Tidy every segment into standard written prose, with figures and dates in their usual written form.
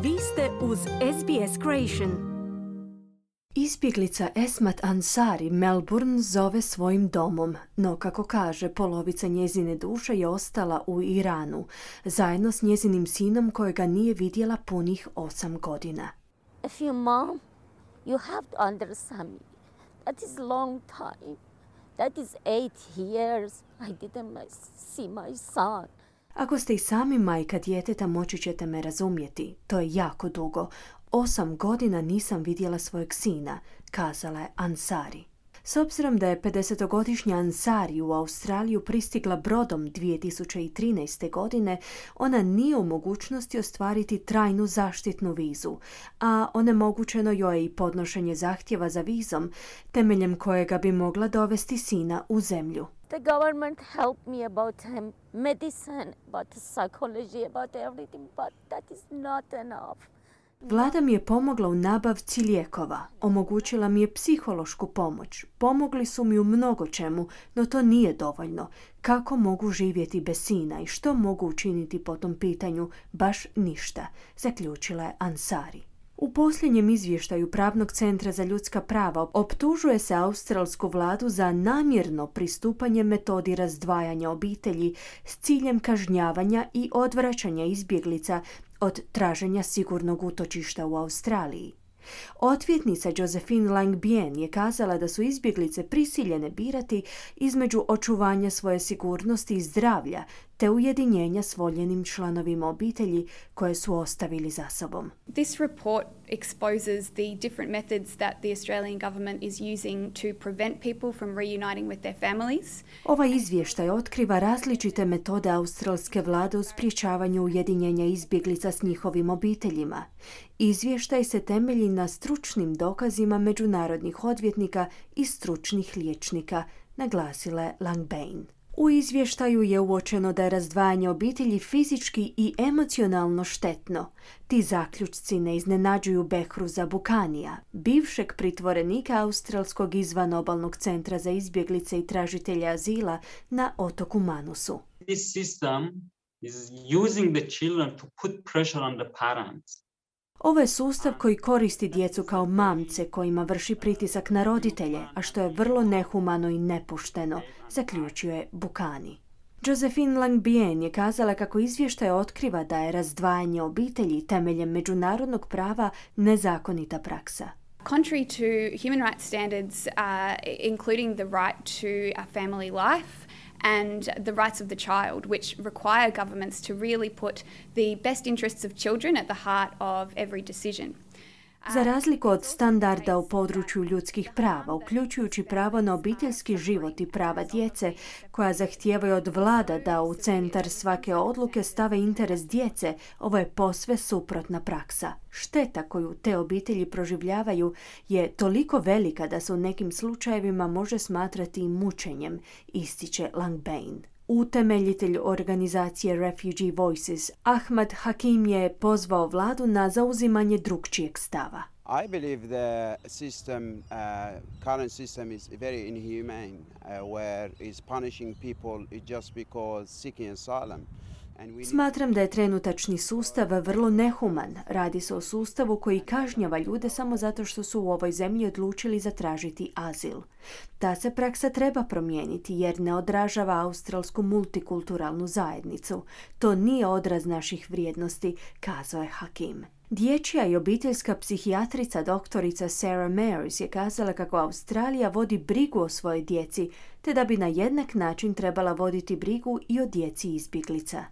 Vi ste uz SBS Creation. Izbjeglica Esmat Ansari Melbourne zove svojim domom, no kako kaže, polovica njezine duše je ostala u Iranu, zajedno s njezinim sinom kojega nije vidjela punih 8 godina. If you mom, you have to understand me. That is long time. That is 8 years. I didn't see my son. Ako ste i sami majka djeteta, moći ćete me razumjeti. To je jako dugo. 8 godina nisam vidjela svojeg sina, kazala je Ansari. S obzirom da je 50-godišnja Ansari u Australiju pristigla brodom 2013. godine, ona nije u mogućnosti ostvariti trajnu zaštitnu vizu, a onemogućeno joj je i podnošenje zahtjeva za vizom, temeljem kojega bi mogla dovesti sina u zemlju. The government helped me about medicine, about psychology, about everything, but that is not enough. Vlada mi je pomogla u nabavci lijekova, omogućila mi je psihološku pomoć, pomogli su mi u mnogo čemu, no to nije dovoljno. Kako mogu živjeti bez sina i što mogu učiniti po tom pitanju? Baš ništa, zaključila je Ansari. U posljednjem izvještaju Pravnog centra za ljudska prava optužuje se australsku vladu za namjerno pristupanje metodi razdvajanja obitelji s ciljem kažnjavanja i odvraćanja izbjeglica od traženja sigurnog utočišta u Australiji. Odvjetnica Josephine Langbien je kazala da su izbjeglice prisiljene birati između očuvanja svoje sigurnosti i zdravlja te ujedinjenja s voljenim članovima obitelji koje su ostavili za sobom. This report exposes the different methods that the Australian government is using to prevent people from reuniting with their families. Ovaj izvještaj otkriva različite metode australske vlade u sprječavanju ujedinjenja izbjeglica s njihovim obiteljima. Izvještaj se temelji na stručnim dokazima međunarodnih odvjetnika i stručnih liječnika, naglasila je Langbien. U izvještaju je uočeno da je razdvajanje obitelji fizički i emocionalno štetno. Ti zaključci ne iznenađuju Behruza Bukanija, bivšeg pritvorenika Australskog izvanobalnog centra za izbjeglice i tražitelja azila na otoku Manusu. This system is using the children to put pressure on the parents. Ovo je sustav koji koristi djecu kao mamce kojima vrši pritisak na roditelje, a što je vrlo nehumano i nepošteno, zaključio je Bukani. Josephine Langbien je kazala kako izvještaj otkriva da je razdvajanje obitelji temeljem međunarodnog prava nezakonita praksa. Contrary to human rights standards, including the right to a family life, and the rights of the child, which require governments to really put the best interests of children at the heart of every decision. Za razliku od standarda u području ljudskih prava, uključujući pravo na obiteljski život i prava djece, koja zahtijevaju od vlada da u centar svake odluke stave interes djece, ovo je posve suprotna praksa. Šteta koju te obitelji proživljavaju je toliko velika da se u nekim slučajevima može smatrati i mučenjem, ističe Langbien. Utemeljitelj organizacije Refugee Voices, Ahmad Hakim, je pozvao vladu na zauzimanje drukčijeg stava. I believe the system, current system is very inhumane, where is punishing people just because seeking asylum. Smatram da je trenutačni sustav vrlo nehuman. Radi se o sustavu koji kažnjava ljude samo zato što su u ovoj zemlji odlučili zatražiti azil. Ta se praksa treba promijeniti jer ne odražava australsku multikulturalnu zajednicu. To nije odraz naših vrijednosti, kazao je Hakim. Dječja i obiteljska psihijatrica doktorica Sarah Mayers je kazala kako Australija vodi brigu o svojoj djeci, te da bi na jednak način trebala voditi brigu i o djeci izbjeglica.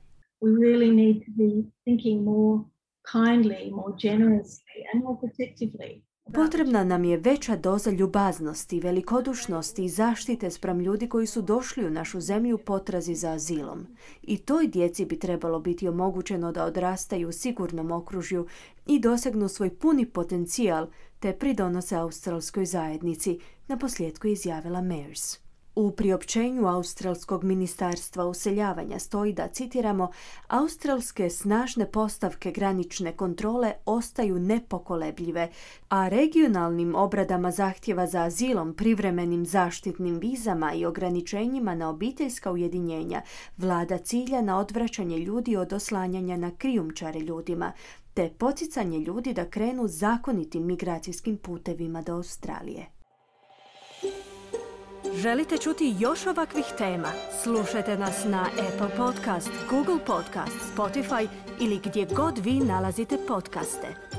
We really need to be thinking more kindly, more generously and more protectively. Potrebna nam je veća doza ljubaznosti, velikodušnosti i zaštite spram ljudi koji su došli u našu zemlju u potrazi za azilom. I toj djeci bi trebalo biti omogućeno da odrastaju u sigurnom okružju i dosegnu svoj puni potencijal te pridonose australskoj zajednici, naposljetku je izjavila Mayers. U priopćenju Australskog ministarstva useljavanja stoji da, citiramo, australske snažne postavke granične kontrole ostaju nepokolebljive, a regionalnim obradama zahtjeva za azilom, privremenim zaštitnim vizama i ograničenjima na obiteljska ujedinjenja vlada cilja na odvraćanje ljudi od oslanjanja na krijumčare ljudima, te poticanje ljudi da krenu zakonitim migracijskim putevima do Australije. Želite čuti još ovakvih tema? Slušajte nas na Apple Podcast, Google Podcast, Spotify ili gdje god vi nalazite podcaste.